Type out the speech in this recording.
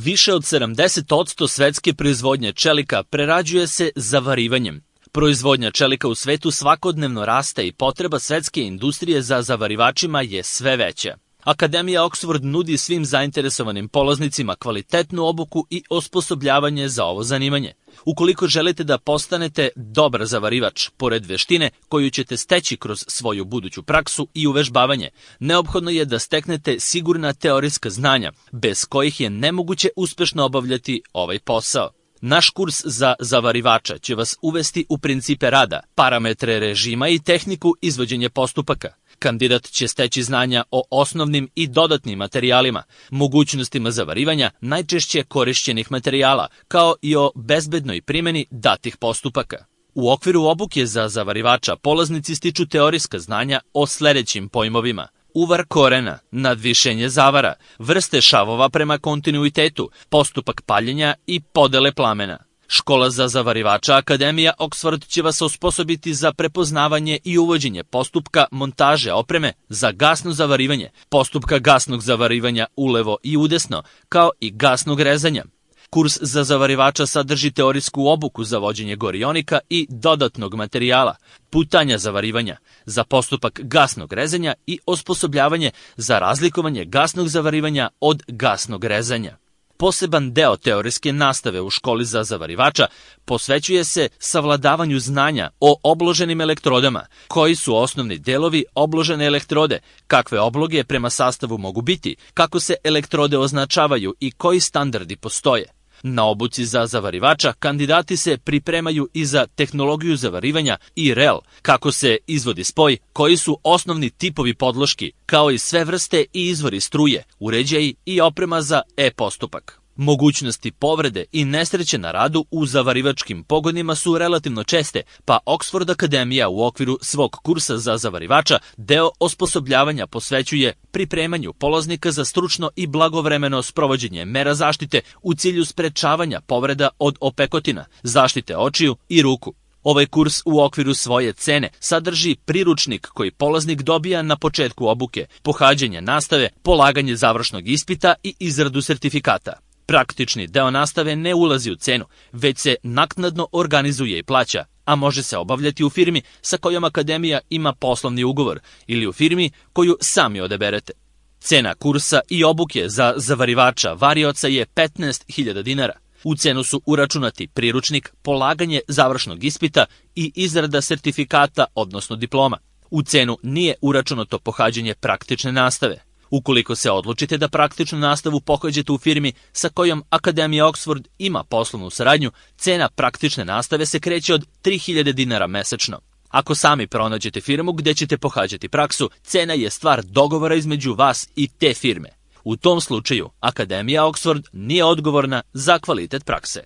Više od 70% svetske proizvodnje čelika prerađuje se zavarivanjem. Proizvodnja čelika u svetu svakodnevno raste i potreba svetske industrije za zavarivačima je sve veća. Akademija Oxford nudi svim zainteresovanim polaznicima kvalitetnu obuku i osposobljavanje za ovo zanimanje. Ukoliko želite da postanete dobar zavarivač, pored veštine koju ćete steći kroz svoju buduću praksu i uvežbavanje, neophodno je da steknete sigurna teorijska znanja, bez kojih je nemoguće uspešno obavljati ovaj posao. Naš kurs za zavarivača će vas uvesti u principe rada, parametre režima i tehniku izvođenja postupaka. Kandidat će steći znanja o osnovnim i dodatnim materijalima, mogućnostima zavarivanja najčešće korišćenih materijala, kao i o bezbednoj primjeni datih postupaka. U okviru obuke za zavarivača polaznici stiču teorijska znanja o sledećim pojmovima: uvar korena, nadvišenje zavara, vrste šavova prema kontinuitetu, postupak paljenja i podele plamena. Škola za zavarivača Akademija Oxford će vas osposobiti za prepoznavanje i uvođenje postupka montaže opreme za gasno zavarivanje, postupka gasnog zavarivanja ulevo i udesno, kao i gasnog rezanja. Kurs za zavarivača sadrži teorijsku obuku za vođenje gorionika i dodatnog materijala, putanja zavarivanja, za postupak gasnog rezanja i osposobljavanje za razlikovanje gasnog zavarivanja od gasnog rezanja. Poseban deo teorijske nastave u školi za zavarivača posvećuje se savladavanju znanja o obloženim elektrodama, koji su osnovni delovi obložene elektrode, kakve obloge prema sastavu mogu biti, kako se elektrode označavaju i koji standardi postoje. Na obuci za zavarivača kandidati se pripremaju i za tehnologiju zavarivanja i rel, kako se izvodi spoj, koji su osnovni tipovi podloški, kao i sve vrste i izvori struje, uređaji i oprema za e-postupak. Mogućnosti povrede i nesreće na radu u zavarivačkim pogonima su relativno česte, pa Oxford Akademija u okviru svog kursa za zavarivača deo osposobljavanja posvećuje pripremanju polaznika za stručno i blagovremeno sprovođenje mera zaštite u cilju sprečavanja povreda od opekotina, zaštite očiju i ruku. Ovaj kurs u okviru svoje cene sadrži priručnik koji polaznik dobija na početku obuke, pohađanje nastave, polaganje završnog ispita i izradu sertifikata. Praktični deo nastave ne ulazi u cenu, već se naknadno organizuje i plaća, a može se obavljati u firmi sa kojom Akademija ima poslovni ugovor ili u firmi koju sami odaberete. Cena kursa i obuke za zavarivača varioca je 15.000 dinara. U cenu su uračunati priručnik, polaganje završnog ispita i izrada sertifikata, odnosno diploma. U cenu nije uračunato pohađanje praktične nastave. Ukoliko se odlučite da praktičnu nastavu pohađate u firmi sa kojom Akademija Oxford ima poslovnu saradnju, cena praktične nastave se kreće od 3.000 dinara mesečno. Ako sami pronađete firmu gde ćete pohađati praksu, cena je stvar dogovora između vas i te firme. U tom slučaju, Akademija Oxford nije odgovorna za kvalitet prakse.